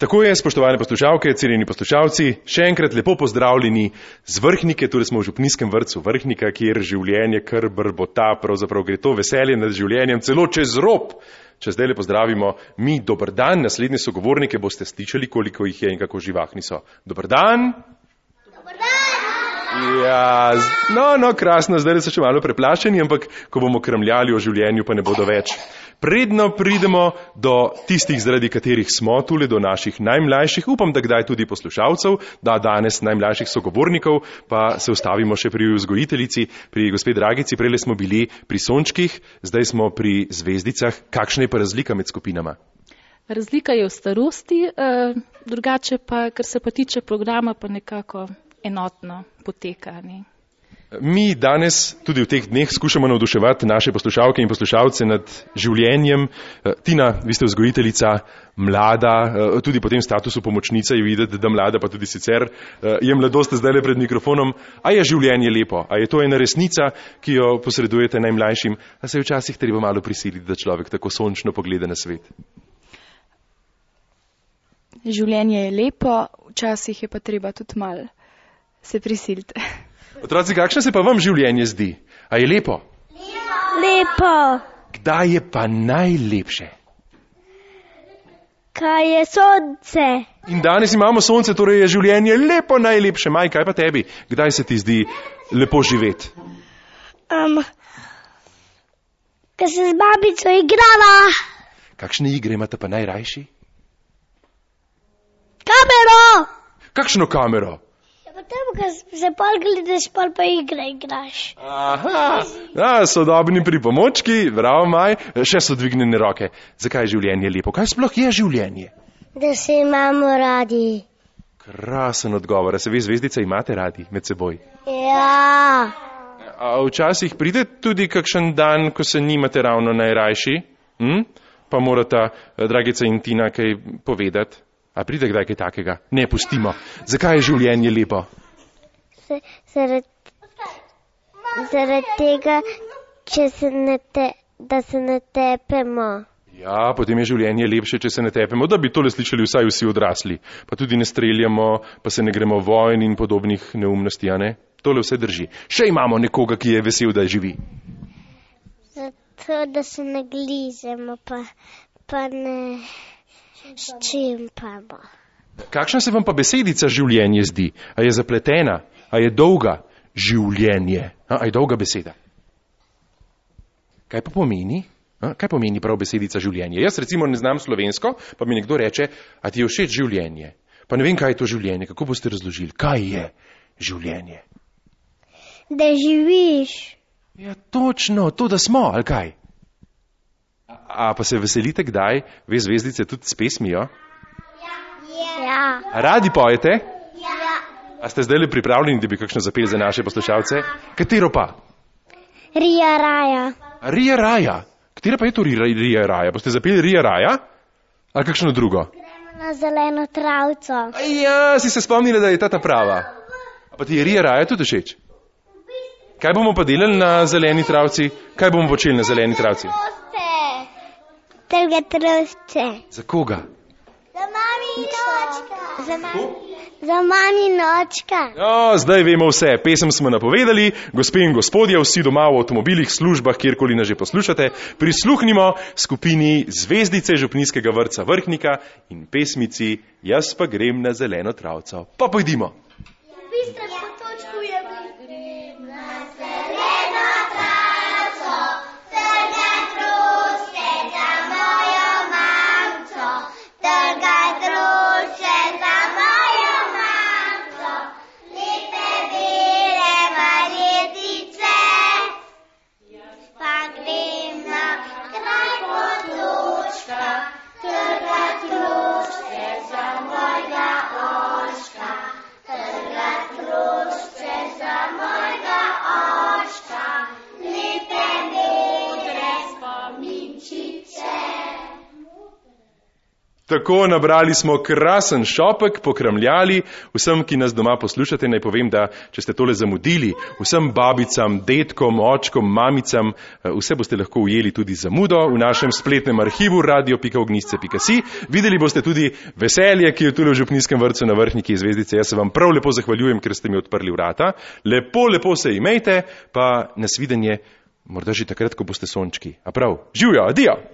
Tako je, spoštovane poslušalke, cenjeni poslušalci, še enkrat lepo pozdravljeni z Vrhnike, torej smo v župnijskem vrtcu Vrhnika, kjer življenje kar brbota, pravzaprav gre to veselje nad življenjem celo čez rob. Če zdaj le pozdravimo mi, dober dan, naslednje sogovornike boste slišali, koliko jih je in kako živahni so. Dober dan! Dober dan! Ja, no, krasno, zdaj so še malo preplašeni, ampak ko bomo kramljali o življenju, pa ne bodo več. Predno pridemo do tistih, zaradi katerih smo tule, do naših najmlajših, upam, da kdaj tudi poslušalcev, da danes najmlajših sogovornikov, pa se ustavimo še pri vzgojiteljici, pri gospe Dragici, prejle smo bili pri sončkih, zdaj smo pri zvezdicah. Kakšna je pa razlika med skupinama? Razlika je v starosti, drugače pa, kar se pa tiče programa, pa nekako enotno poteka. Ne? Mi danes tudi v teh dneh skušamo navduševati naše poslušalke in poslušalce nad življenjem. Tina, vi ste vzgojiteljica, mlada, tudi po tem statusu pomočnica je videti, da mlada, pa tudi sicer je mladost zdaj le pred mikrofonom. A je življenje lepo? A je to ena resnica, ki jo posredujete najmlajšim? A se je včasih treba malo prisiliti, da človek tako sončno pogleda na svet? Življenje je lepo, včasih je pa treba tudi malo se prisiliti. Otroci, kakšno se pa vam življenje zdi? A je lepo? Lepo. Kdaj je pa najlepše? Kaj je sonce? In danes imamo sonce, torej je življenje lepo najlepše. Maj, kaj pa tebi? Kdaj se ti zdi lepo živeti? Ko se z babico igrala. Kakšne igre imate pa najrajši? Kamero. Kakšno kamero? Potem, ko se pol gledaš, pol pa igre igraš. Aha, sodobni pripomočki, bravo Maj, še so dvignjene roke. Zakaj je življenje lepo? Kaj sploh je življenje? Da se imamo radi. Krasen odgovor, a se vi zvezdice imate radi med seboj? Ja. A včasih pride tudi kakšen dan, ko se nimate ravno najrajši? Pa morata Dragica in Tina kaj povedati? A pride kdaj kaj takega? Ne, pustimo. Zakaj je življenje lepo? Zaradi tega, da se ne tepemo. Ja, potem je življenje lepše, če se ne tepemo, da bi tole slišali vsaj vsi odrasli. Pa tudi ne streljamo, pa se ne gremo vojn in podobnih neumnosti, a ne? Tole vse drži. Še imamo nekoga, ki je vesel, da živi. Zato, da se ne glizemo, pa ne ščimpamo. Kakšna se vam pa besedica življenje zdi? A je zapletena? A je dolga? Življenje. A je dolga beseda? Kaj pa pomeni? Kaj pomeni prav besedica življenje? Jaz recimo ne znam slovensko, pa mi nekdo reče, a ti je všeč življenje? Pa ne vem, kaj je to življenje. Kako boste razložili? Kaj je življenje? Da živiš. Ja, točno, to, da smo, ali kaj? A pa se veselite kdaj, ve zvezdice, tudi s pesmijo? Ja. A radi pojete? Ja. A ste zdaj le pripravljeni, da bi kakšno zapeli za naše poslušalce? Katero pa? Rija raja. Rija raja? Katera pa je to Rija raja? Boste zapeli Rija raja? Ali kakšno drugo? Gremo na zeleno travco. Ja, si se spomnili, da je ta prava. A pa ti je Rija raja tudi všeč? Kaj bomo pa delali na zeleni travci? Kaj bomo počeli na zeleni travci? Trga trosce. Za koga? Za mami nočka. Za mami nočka. No, zdaj vemo vse. Pesem smo napovedali. Gospe in gospodje, vsi doma v avtomobilih, službah, kjerkoli nas že poslušate, prisluhnimo skupini Zvezdice župnijskega vrtca Vrhnika in pesmici Jaz pa grem na zeleno travco. Pa pojdimo. Trga Tako, nabrali smo krasen šopek, pokramljali. Vsem, ki nas doma poslušate, naj povem, da če ste tole zamudili, vsem babicam, detkom, očkom, mamicam, vse boste lahko ujeli tudi zamudo v našem spletnem arhivu radio.ognisce.si. Videli boste tudi veselje, ki je tule v Župnijskem vrtcu na Vrhniki Zvezdice. Jaz se vam prav lepo zahvaljujem, ker ste mi odprli vrata. Lepo se imejte, pa nasvidenje, morda že takrat, ko boste sončki. A prav, živjo, adijo!